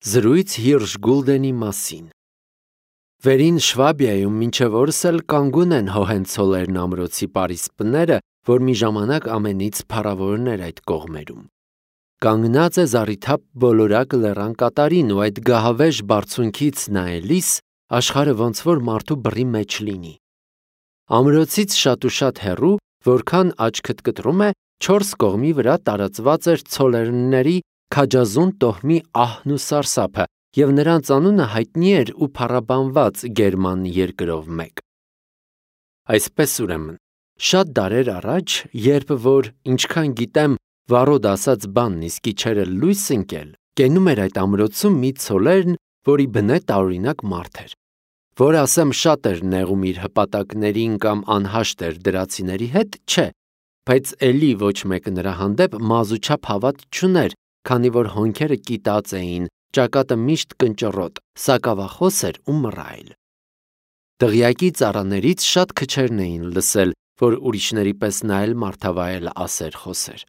Զրույց Հիրշ Գուլդենի մասին։ Վերին Շվաբիայում մինչև օրս էլ կանգուն են Հոհենցոլերն ամրոցի պարիսպները, որ մի ժամանակ ամենից փառավորն էր այդ կողմերում։ Կանգնած է զառիթափ բոլորակ լեռան կատարին ու այդ գահավեժ բարձունքից նայելիս աշխարհը ոնց որ մարդու բռի մեջ լինի։ Ամրոցից շատ ու շատ հեռու, որքան աչքդ կտրում է, 4 կողմի վրա տարածված էր ցոլերնների քաջազուն տոհմի ահն ու սարսափը, և նրանց անունը հայտնի էր ու փառաբանված գերման երկրով մեկ։ Այսպես ուրեմն, շատ դարեր առաջ, երբ որ, ինչքան գիտեմ, վառոդ ասած բանն իսկի չէր էլ լույս ընկել, կենում էր այդ ամրոցում մի ցոլերն, որի բնե տարօրինակ մարդ էր, որ ասեմ շատ էր նեղում իր հպատակներին կամ անհաշտ էր դրացիների հետ, չէ, բայց էլի ոչ մեկը նրա հանդեպ մազուչափ հավատ չուներ, քանի որ հոնքերը կիտած էին, ճակատը միշտ կնճռոտ, սակավախոս էր ու մռայլ։ Դղյակի ծառաներից շատ քչերն էին լսել, որ ուրիշների պես նա էլ մարդավայել ասեր խոսեր։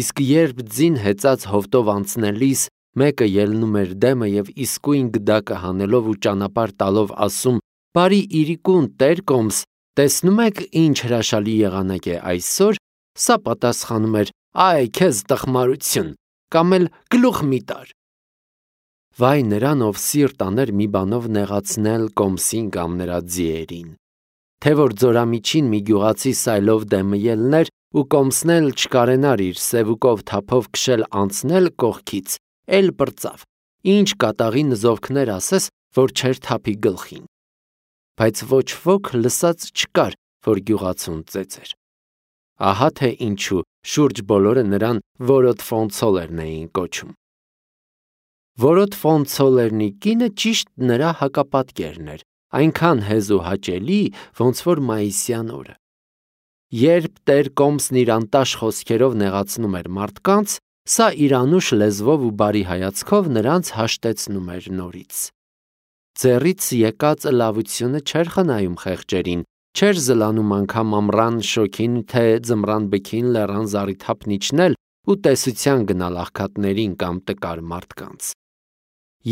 Իսկ երբ ձին հեծած հովտով անցնելիս մեկը ելնում էր դեմը և իսկույն գդակը հանելով ու ճանապարհ տալով ասում. «Բարի իրիկուն, Տեր Կոմս, տեսնում եք ինչ հրաշալի եղանակ է այսօր», սա պատասխանում էր. «Այ քեզ տխմարություն», կամ էլ «Գլուխ մի տար»։ Վայ նրան, ով սիրտ աներ մի բանով նեղացնել Կոմսին կամ նրա ձիերին։ Թե որ ձորամիջին մի գյուղացի սայլով դեմը ելներ ու Կոմսն էլ չկարենար իր սևուկով թափով քշել անցնել կողքից, էլ պրծավ, ինչ կատաղի նզովքներ ասես, որ չէր թափի գլխին։ Բայց ոչ ոք լսած չկար, որ գյուղացուն ծեծեր։ Ահա թե ինչու շուրջ բոլորը նրան Որոդ ֆոն Ցոլերն էին կոչում։ Որոդ ֆոն Ցոլերնի կինը ճիշտ նրա հակապատկերն էր, այնքան հեզ ու հաճելի, ոնց որ մայիսյան օրը։ Երբ Տեր Կոմսն իր անտաշ խոսքերով նեղացնում էր մարդկանց, սա իր անուշ լեզվով ու բարի հայացքով նրանց հաշտեցնում էր նորից։ Ձեռից եկած լավությունը չէր խնայում խեղճերին, չէր զլանում անգամ ամռան շոգին, թե ձմռան բքին լեռան զառիթափն իջնել ու տեսության գնալ աղքատներին կամ տկար մարդկանց։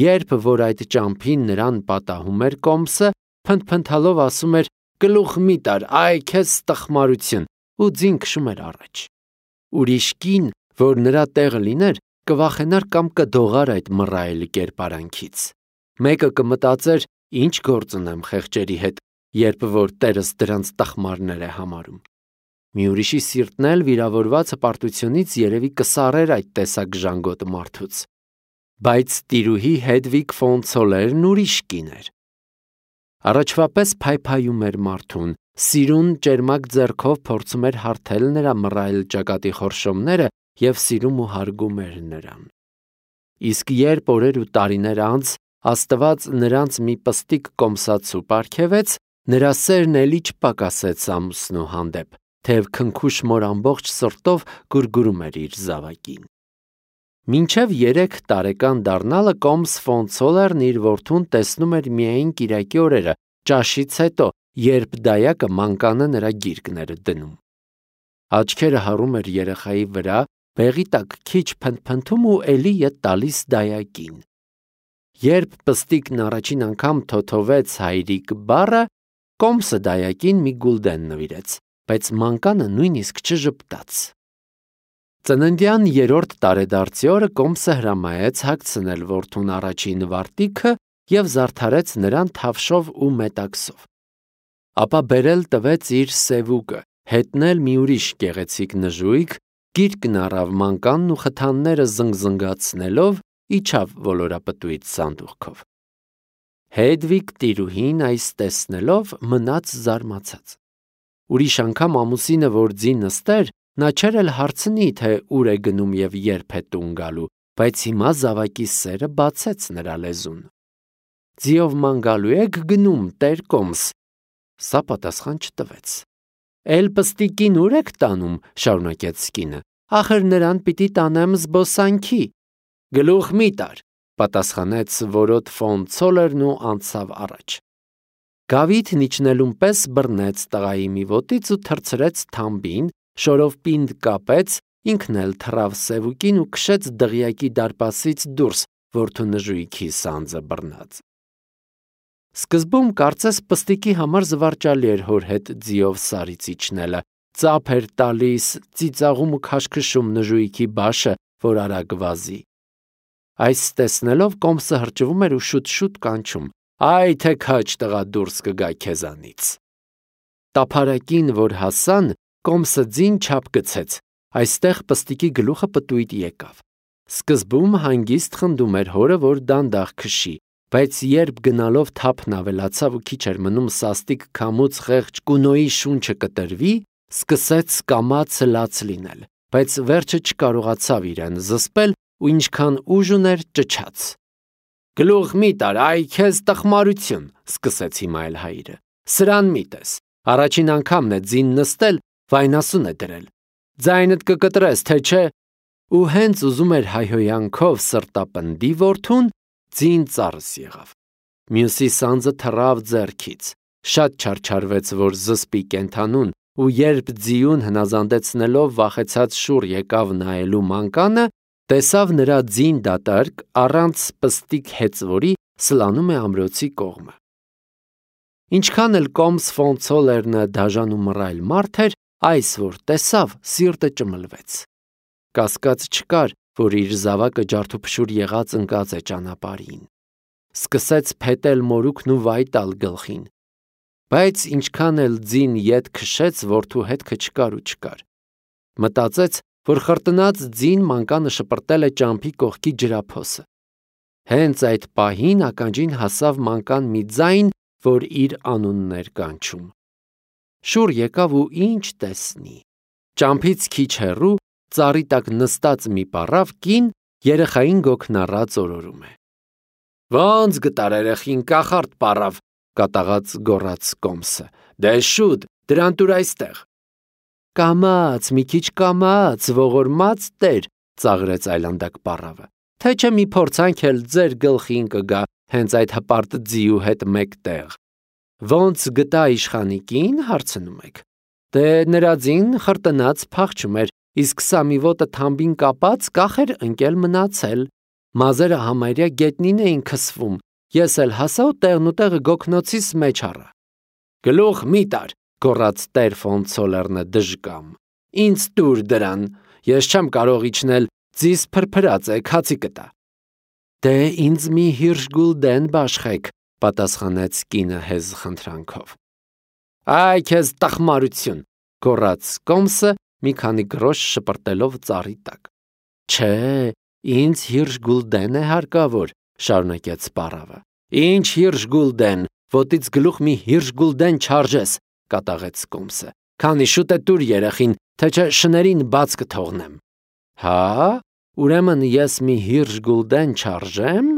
Երբ որ այդ ճամփին նրան պատահում էր Կոմսը, փնթփնթալով ասում էր. «Գլուխ մի տար, այ քեզ տխմարություն», ու ձին քշում էր առաջ։ Ուրիշ կին, որ նրա տեղը լիներ, կվախենար կամ կդողար այդ մռայլ կերպարանքից։ Մեկը կմտածեր. «Ինչ գործ ունեմ խեղճերի հետ, երբ որ Տերս դրանց տխմարներ է համարում»։ Մի ուրիշի սիրտն էլ վիրավորված հպարտությունից երևի կսառեր այդ տեսակ ժանգոտ մարդուց։ Բայց տիրուհի Հեդվիգ ֆոն Ցոլերն ուրիշ կին էր։ Առաջվա պես փայփայում էր մարդուն, սիրուն ճերմակ ձեռքով փորձում էր հարթել նրա մռայլ ճակատի խորշոմները և սիրում ու հարգում էր նրան։ Իսկ երբ օրեր ու տարիներ անց Աստված նրանց մի պստիկ կոմսացու պարգևեց, նրա սերն էլի չպակասեց ամուսնու հանդեպ, թեև քնքուշ մոր ամբողջ սրտով գուրգուրում էր իր զավակին։ Մինչև 3 տարեկան դառնալը Կոմս ֆոն Ցոլերն իր որդուն տեսնում էր միայն կիրակի օրերը, ճաշից հետո, երբ դայակը մանկանը նրա գիրկն էր դնում։ Աչքերը հառում էր երեխայի վրա, բեղի տակ քիչ փնթփնթում ու էլի ետ տալիս դայակին։ Երբ պստիկն առաջին անգամ թոթովեց հայրիկ բառը, Կոմսը դայակին մի գուլդեն նվիրեց, բայց մանկանը նույնիսկ չժպտաց։ Ծննդյան 3-րդ տարեդարձի օրը Կոմսը հրամայեց հագցնել որդուն առաջին վարտիքը և զարդարեց նրան թավշով ու մետաքսով։ Ապա բերել տվեց իր սևուկը, հետնել մի ուրիշ գեղեցիկ նժույգ, գիրկն առավ մանկանն ու խթանները զնգզնգացնելով իջավ ոլորապտույտ սանդուղքով։ Հեդվիգ տիրուհին այս տեսնելով մնաց զարմացած։ Ուրիշ անգամ ամուսինը որ ձի նստեր, նա չէր էլ հարցնի, թե ուր է գնում և երբ է տուն գալու, բայց հիմա զավակի սերը բացեց նրա լեզուն։ «Ձիով ման գալու եք գնում, Տեր Կոմս»։ Սա պատասխան չտվեց։ «Էլ պստիկին ուր եք տանում», շարունակեց կինը, «ախր նրան պիտի տանեմ զբոսանքի»։ «Գլուխ մի տար», պատասխանեց Որոդ ֆոն Ցոլերն ու անցավ առաջ։ Գավիթն իջնելուն պես բռնեց տղայի մի ոտից ու թռցրեց թամբին, շորով պինդ կապեց, ինքն էլ թռավ սևուկին ու քշեց դղյակի դարպասից դուրս, որդու նժույգի սանձը բռնած։ Սկզբում կարծես պստիկի համար զվարճալի էր հոր հետ ձիով սարից իջնելը, ծափ էր տալիս, ծիծաղում ու քաշքշում նժույգի բաշը, որ արագ վազի։ Այս տեսնելով Կոմսը հրճվում էր ու շուտ-շուտ կանչում. «Այ թե քաջ տղա դուրս կգա քեզանից»։ Տափարակին, որ հասան, Կոմսը ձին չափ գցեց, այստեղ պստիկի գլուխը պտույտ եկավ։ Սկզբում հանգիստ խնդում էր հորը, որ դանդաղ քշի, բայց երբ գնալով թափն ավելացավ ու քիչ էր մնում սաստիկ քամուց խեղճ կունոյի շունչը կտրվի, սկսեց կամաց լաց լինել, բայց վերջը չկարողացավ իրեն զսպել ու ինչքան ուժ ուներ ճչաց։ «Գլուխ մի տար, այ քեզ տխմարություն», սկսեց հիմա էլ հայրը։ «Սրան մի տես, առաջին անգամն է ձին նստել, վայնասուն է դրել։ Ձայնդ կկտրես, թե չէ»։ Ու հենց ուզում էր հայհոյանքով սրտապնդի որդուն, ձին ծառս եղավ։ Մյուսի սանձը թռավ ձեռքից, շատ չարչարվեց, որ զսպի կենդանուն, ու երբ ձիուն հնազանդեցնելով վախեցած շուռ եկավ նայելու մանկանը, տեսավ նրա ձին դատարկ առանց պստիկ հեծվորի սլանում է ամրոցի կողմը։ Ինչքան էլ Կոմս ֆոն Ցոլերնը դաժան ու մռայլ մարդ էր, այս որ տեսավ, սիրտը ճմլվեց։ Կասկած չկար, որ իր զավակը ջարդուփշուր եղած ընկած է ճանապարհին։ Սկսեց փետել մորուքն ու վայ տալ գլխին։ Բայց ինչքան էլ ձին ետ քշեց, որդու հետքը չկար ու չկար։ Մտածեց, որ խրտնած ձին մանկանը շպրտել է ճամփի կողքի ջրափոսը։ Հենց այդ պահին ականջին հասավ մանկան մի ձայն, որ իր անունն էր կանչում։ Շուռ եկավ ու ինչ տեսնի։ Ճամփից քիչ հեռու ծառի տակ նստած մի պառավ կին երեխային գոգնառած օրորում է։ «Ոնց գտար երեխին կախարդ պառավ», կատաղած գոռաց Կոմսը։ «Դե շուտ, դրան տուր այստեղ»։ «Կամաց, մի քիչ կամաց, ողորմած տեր», ծաղրեց այլանդակ պառավը։ «Թե չէ մի փորձանք էլ ձեր գլխին կգա հենց այդ հպարտ ձիու հետ մեկտեղ»։ «Ոնց գտա իշխանիկին» հարցնում եք։ Դե նրա ձին խրտնած փախչում էր, իսկ սա մի ոտը թամբին կապած կախ էր ընկել մնացել։ Մազերը համարյա գետնին էին քսվում, ես էլ հասա ու տեղնուտեղը գոգնոցիս մեջ առա։ «Գլուխ մի տար», գոռաց տեր ֆոն Ցոլերնը դժկամ։ «Ինձ տուր դրան, ես չեմ կարող իջնել, ձիս փրփրած է, քացի կտա»։ «Դե ինձ մի հիրշ գուլդեն բաշխեք», պատասխանեց կինը հեզ խնդրանքով։ «Այ քեզ տխմարություն», գոռաց Կոմսը մի քանի գրոշ շպրտելով ծառի տակ։ «Չէ, ինձ հիրշ գուլդեն է հարկավոր», շարունակեց պառավը։ «Ինչ հիրշ գուլդեն, ոտից գլուխ մի հիրշ գուլդեն չարժես», կատաղեց Կոմսը։ «Քանի շուտ է տուր երեխին, թե չէ շներին բաց կթողնեմ»։ «Հա, ուրեմն ես մի հիրշ գուլդեն չարժեմ»,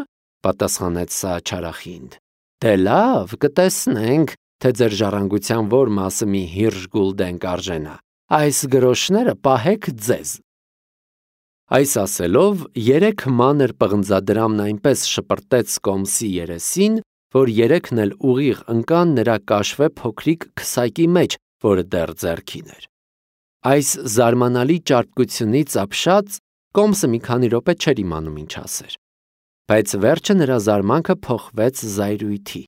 պատասխանեց սա չարախինդ։ «Դե լավ, կտեսնենք, թե ձեր ժառանգության որ մասը մի հիրշ գուլդեն կարժենա։ Այս գրոշները պահեք ձեզ»։ Այս ասելով, երեք մանր պղնձադրամն այնպես շպրտեց Կոմսի երեսին, որ երեքն էլ ուղիղ ընկան նրա կաշվե փոքրիկ քսակի մեջ, որը դեռ ձեռքին էր։ Այս զարմանալի ճարպկությունից ապշած Կոմսը մի քանի րոպե չէր իմանում ինչ ասեր։ Բայց վերջը նրա զարմանքը փոխվեց զայրույթի։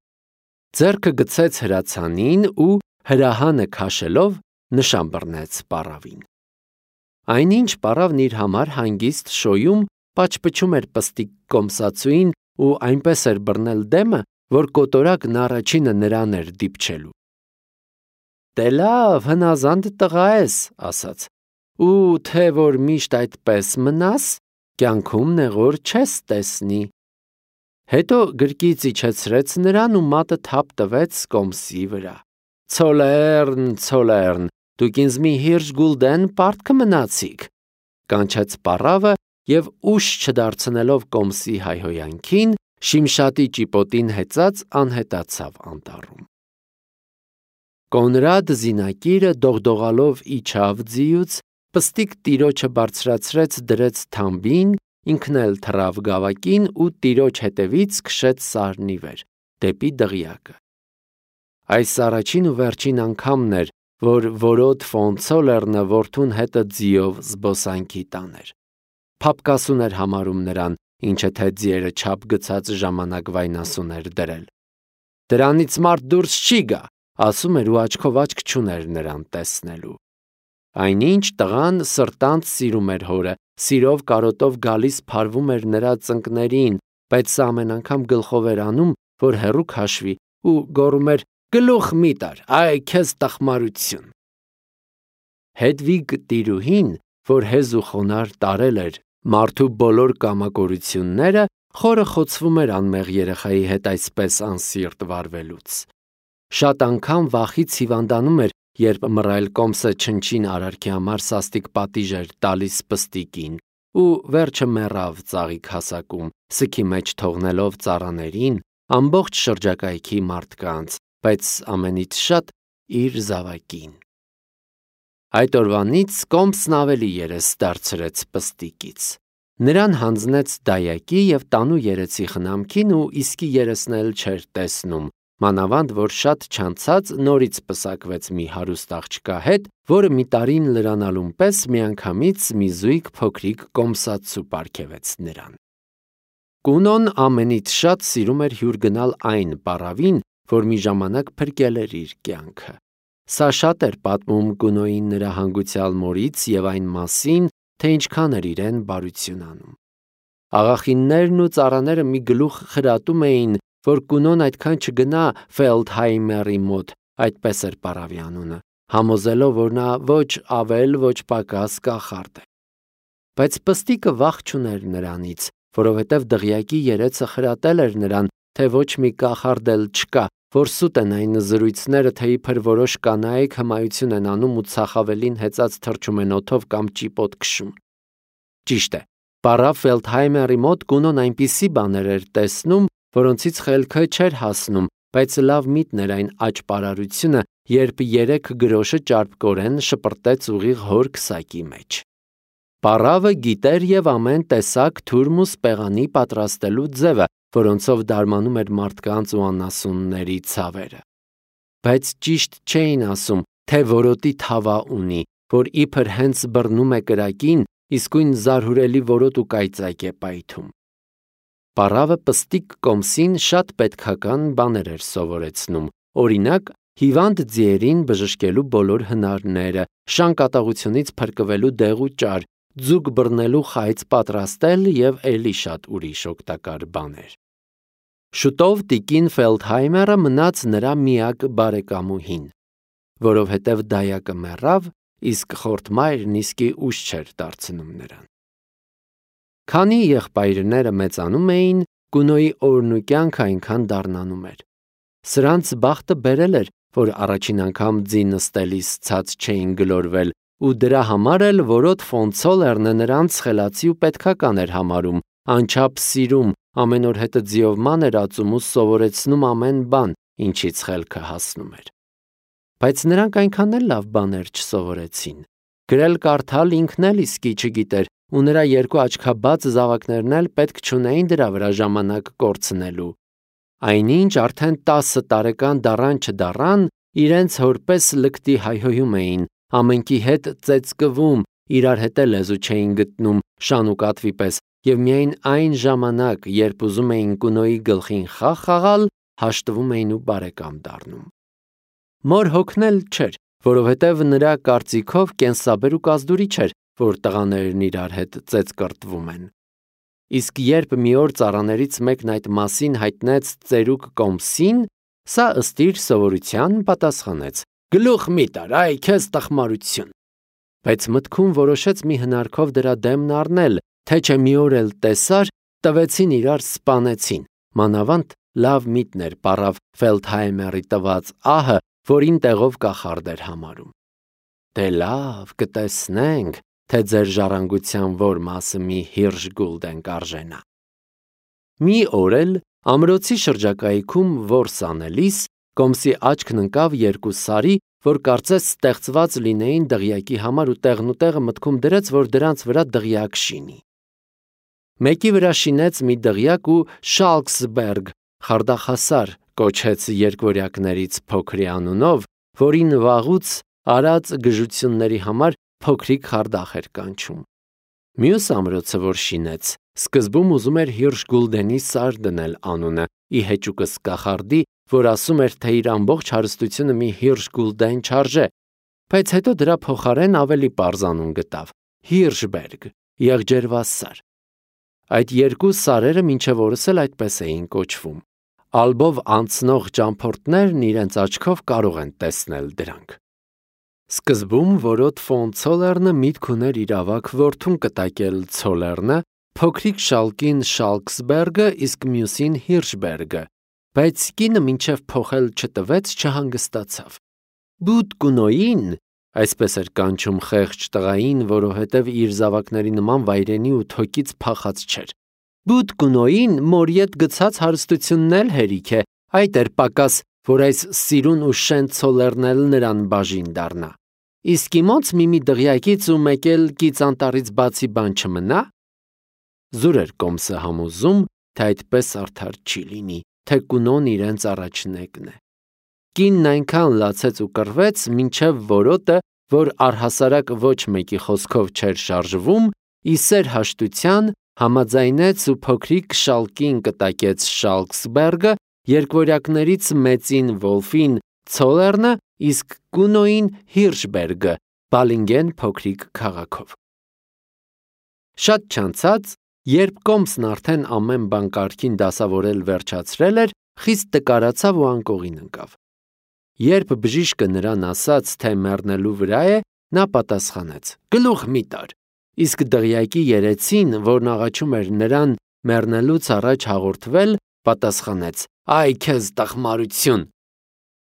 Ձեռքը գցեց հրացանին ու հրահանը քաշելով նշան բռնեց պառավին։ Այնինչ պառավն իր համար հանգիստ շոյում պաչպչում էր պստիկ Կոմսացուին ու այնպես էր բռնել դեմը, որ կոտորակն առաջինը նրան էր դիպչելու։ «Դե լավ, հնազանդ տղա ես», ասաց, «ու թե որ միշտ այդպես մնաս, կյանքում նեղոր չես տեսնի»։ Հետո գրկից իջեցրեց նրան ու մատը թափ տվեց Կոմսի վրա։ «Ցոլերն, Ցոլերն, դուք ինձ մի հիրշ գուլդեն պարտք մնացիք», կանչեց պառավը և ուշ չդարձնելով Կոմսի հայհոյանքին, շիմշատի ճիպոտին հեծած անհետացավ անտառում։ Կոնրադ զինակիրը դողդողալով իջավ ձիուց, պստիկ տիրոջը բարձրացրեց դրեց թամբին, ինքն էլ թռավ գավակին ու տիրոջ հետևից քշեց սարնի վեր, դեպի դղյակը։ Այս առաջին ու վերջին անգամն էր, որ որոտ ֆոն Ցոլերնը որդուն հետը ձիով զբոսանքի տաներ։ Փափկասուն էր համարում նրան, ինչը թե ձիերը չափ գցած ժամանակ վայնասուն էր դրել։ Դրանից մարդ դուրս չի գա, ասում էր ու աչքով աչք չուներ նրան տեսնելու։ Այնինչ տղան սրտանց սիրում էր հորը, սիրով կարոտով գալիս փարվում էր նրա ծնկներին, բայց սա ամեն անգամ գլխով էր անում, որ հեռու քաշվի ու գոռում էր. «Գլուխ մի տար, այ քեզ տխմարություն»։ Հեդվիգ տիրուհին, որ հեզ ու խոնարհ տարել էր մարդու բոլոր կամակորությունները, խորը խոցվում էր անմեղ երեխայի հետ այսպես անսիրտ վարվելուց։ Շատ անգամ վախից հիվանդանում էր, երբ մռայլ կոմսը չնչին արարքի համար սաստիկ պատիժ էր տալիս պստիկին, ու վերջը մեռավ ծաղիկ հասակում, սքի մեջ թողնելով ծառաներին, ամբողջ շրջակայքի մարդկանց, բայց ամենից շատ իր զավակին։ Այդ օրվանից կոմսն ավելի երես դարձրեց պստիկից։ Նրան հանձնեց դայակի և տանու երեցի խնամքին ու իսկի երեսն էլ չէր տեսնում, մանավանդ որ շատ չանցած նորից պսակվեց մի հարուստ աղջկա հետ, որը մի տարին լրանալուն պես միանգամից մի զույգ փոքրիկ կոմսացու պարգևեց նրան։ Կունոն ամենից շատ սիրում էր հյուր գնալ այն պառավին, որ մի ժամանակ փրկել էր իր կյանքը։ Սա շատ էր պատմում Կունոյին նրա հանգուցյալ մորից և այն մասին, թե ինչքան էր իրեն բարություն անում։ Աղախիններն ու ծառաները մի գլուխ խրատում էին, որ Կունոն այդքան չգնա Ֆելդհայմերի մոտ, այդպես էր պառավի անունը, համոզելով, որ նա ոչ ավել, ոչ պակաս կախարդ է։ Բայց պստիկը վախ չուներ նրանից, որովհետև դղյակի երեցը խրատել էր նրան, թե ոչ մի կախարդ էլ չկա, որ սուտ են այն զրույցները, թե իբր որոշ կանայք հմայություն են անում ու ցախավելին հեծած թռչում են օդով կամ ճիպոտ քշում։ Ճիշտ է, պառավ Ֆելդհայմերի մոտ Կունոն այնպիսի բաներ էր տեսնում, որոնցից խելքը չէր հասնում, բայց լավ միտն էր այն աճպարարությունը, երբ 3 գրոշը ճարպկորեն շպրտեց ուղիղ հոր քսակի մեջ։ Պառավը գիտեր և ամեն տեսակ թուրմ ու սպեղանի պատրաստելու ձևը, որոնցով դարմանում էր մարդկանց ու անասունների ցավերը։ Բայց ճիշտ չէին ասում, թե որոտի թավա ունի, որ իբր հենց բռնում է կրակին, իսկույն զարհուրելի որոտ ու կայծակ է պայթում։ Պառավը պստիկ կոմսին շատ պետքական բաներ էր սովորեցնում, օրինակ, հիվանդ ձիերին բժշկելու բոլոր հնարները, շան կատաղությունից փրկվելու դեղ ու ճար, ձուկ բռնելու խայծ պատրաստել և էլի շատ ուրիշ օգտակար բաներ։ Շուտով տիկին Ֆելդհայմերը մնաց նրա միակ բարեկամուհին, որովհետև դայակը մեռավ, իսկ խորթմայրն իսկի ուշ չէր դարձնում նրան։ Քանի եղբայրները մեծանում էին, Կունոյի օրն ու կյանքը այնքան դառնանում էր։ Սրանց բախտը բերել էր, որ առաջին անգամ ձի նստելիս ցած չէին գլորվել, ու դրա համար էլ որոտ ֆոն Ցոլերնը նրանց խելացի ու պետքական էր համարում, անչափ սիրում, ամեն օր հետը ձիով ման էր ածում ու սովորեցնում ամեն բան, ինչից խելքը հասնում էր։ Բայց նրանք այնքան էլ լավ բաներ չսովորեցին։ Գրել կարդալ ինքն էլ իսկի չգիտեր, ու նրա 2 աչքաբաց զավակներն էլ պետք չունեին դրա վրա ժամանակ կորցնելու։ Այնինչ արդեն 10 տարեկան դառան չդառան, իրենց հորպես լկտի հայհոյում էին, ամենքի հետ ծեծկվում, իրար հետ էլ լեզու չէին գտնում շան ու կատվի պես, և միայն այն ժամանակ, երբ ուզում էին Կունոյի գլխին խաղ խաղալ, հաշտվում էին ու բարեկամ դառնում։ Մոր հոգնել չէր, որովհետև նրա կարծիքով կենսաբեր ու կազդուրի չէր, որ տղաներն իրար հետ ծեծկռտվում են։ Իսկ երբ մի օր ծառաներից մեկն այդ մասին հայտնեց ծերուկ կոմսին, սա ըստ իր սովորության պատասխանեց. «Գլուխ մի տար, այ քեզ տխմարություն»։ Բայց մտքում որոշեց մի հնարքով դրա դեմն առնել, թե չէ մի օր էլ տեսար, տվեցին իրար սպանեցին, մանավանդ լավ միտն էր պառավ Ֆելդհայմերի տված ահը, որին տեղով կախարդ էր համարում։ Դե լավ, կտեսնենք, թե ձեր ժառանգության որ մասը մի հիրժ գուլդեն կարժենա։ Մի օր էլ ամրոցի շրջակայքում որս անելիս, կոմսի աչքն ընկավ 2 սարի, որ կարծես ստեղծված լինեին դղյակի համար ու տեղնուտեղը մտքում դրեց, որ դրանց վրա դղյակ շինի։ Մեկի վրա շինեց մի դղյակ ու Շալքսբերգ խարդախասար կոչեց երկվորյակներից փոքրի անունով, որին վաղուց արած գժությունների համար փոքրիկ խարդախ էր կանչում։ Մյուս ամրոցը, որ շինեց, Սկզբում ուզում էր Հիրշգուլդենի Սար դնել անունը, ի հեճուկս կախարդի, որ ասում էր, թե իր ամբողջ հարստությունը մի Հիրշգուլդեն չարժե, բայց հետո դրա փոխարեն ավելի պարզ անուն գտավ՝ Հիրշբերգ, եղջերվասար։ Այդ երկու սարերը մինչև օրս էլ այդպես էին կոչվում։ Ալբով անցնող ճամփորդներն իրենց աչքով կարող են տեսնել դրանք։ Սկզբում Որոտ ֆոն Ցոլերնը միտք ուներ իր ավագ որդուն կտակել Ցոլերնը, փոքրիկ շալկին Շալքսբերգը, իսկ մյուսին Հիրշբերգը, բայց կինը մինչև փոխել չտվեց, չհանգստացավ։ Բուտ կունոյին, այսպես էր կանչում խեղճ տղային, որովհետև իր զավակների նման վայրենի ու թոկից փախած չէր։ Բուտ կունոյին մորիետ գցած հարստությունն էլ հերիք է, այդ էր պակաս, որ այս սիրուն ու շեն Ցոլերն էլ նրան բաժին դառնա։ Իսկ իմոց մի դղյակից ու մեկ էլ կից անտառից բացի բան չմնա։ Զուր էր Կոմսը համոզում, թե այդպես արդար չի լինի, թե կունոն իրենց առաջնեկն է։ Կինն այնքան լացեց ու կռվեց, մինչև Որոտը, որ առհասարակ ոչ մեկի խոսքով չէր շարժվում, ի սեր հաշտության համաձայնեց ու փոքրիկ շալկին կտակեց Շալքսբերգը, երկվորյակներից մեծին Վոլֆին Ցոլերնը, իսկ կունոյին Հիրշբերգը, Բալինգեն փոքրիկ քաղաքով։ Շատ չանցած, երբ Կոմսն արդեն ամեն բան կարգին դասավորել վերջացրել էր, խիստ տկարացավ ու անկողին ընկավ։ Երբ բժիշկը նրան ասաց, թե մեռնելու վրա է, նա պատասխանեց. «Գլուխ մի տար», իսկ դղյակի երեցին, որն աղաչում էր նրան մեռնելուց առաջ հաղորդվել, պատասխանեց. «Այ քեզ տխմարություն»։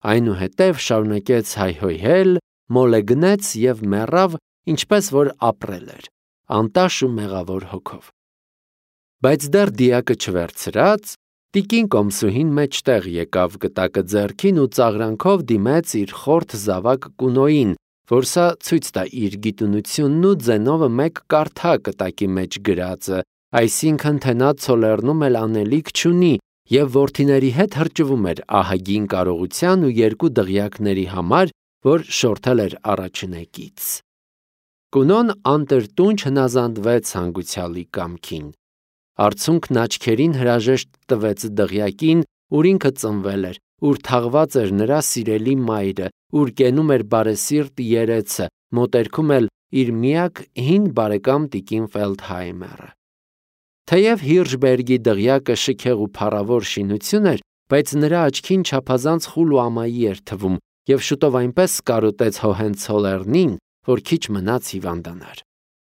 Այնուհետև շարունակեց հայհոյել, մոլեգնեց և մեռավ, ինչպես որ ապրել էր, անտաշ ու մեղավոր հոգով։ Բայց դեռ դիակը չվերցրած, տիկին Կոմսուհին մեջտեղ եկավ գտակը ձեռքին ու ծաղրանքով դիմեց իր խորթ զավակ կունոյին, որ սա ցույց տա իր գիտունությունն ու ձենովը մեկ կարդա կտակի մեջ գրածը, այսինքն թե նա Ցոլերնում էլ անելիք չունի և որդիների հետ հրճվում էր ահագին կարողության ու երկու դղյակների համար, որ շորթել էր առաջնեկից։ Կունոն անտրտունջ հնազանդվեց հանգուցյալի կամքին։ Արցունքն աչքերին հրաժեշտ տվեց դղյակին, ուր ինքը ծնվել էր, ուր թաղված էր նրա սիրելի մայրը, ուր կենում էր բարեսիրտ երեցը, մոտերքում էլ իր միակ հին բարեկամ տիկին Ֆելդհայմերը։ Թեև Հիրշբերգի դղյակը շքեղ ու փառավոր շինություն էր, բայց նրա աչքին չափազանց խուլ ու ամայի էր թվում, և շուտով այնպես սկարոտեց Հոհենցոլերնին, որ քիչ մնաց հիվանդանար։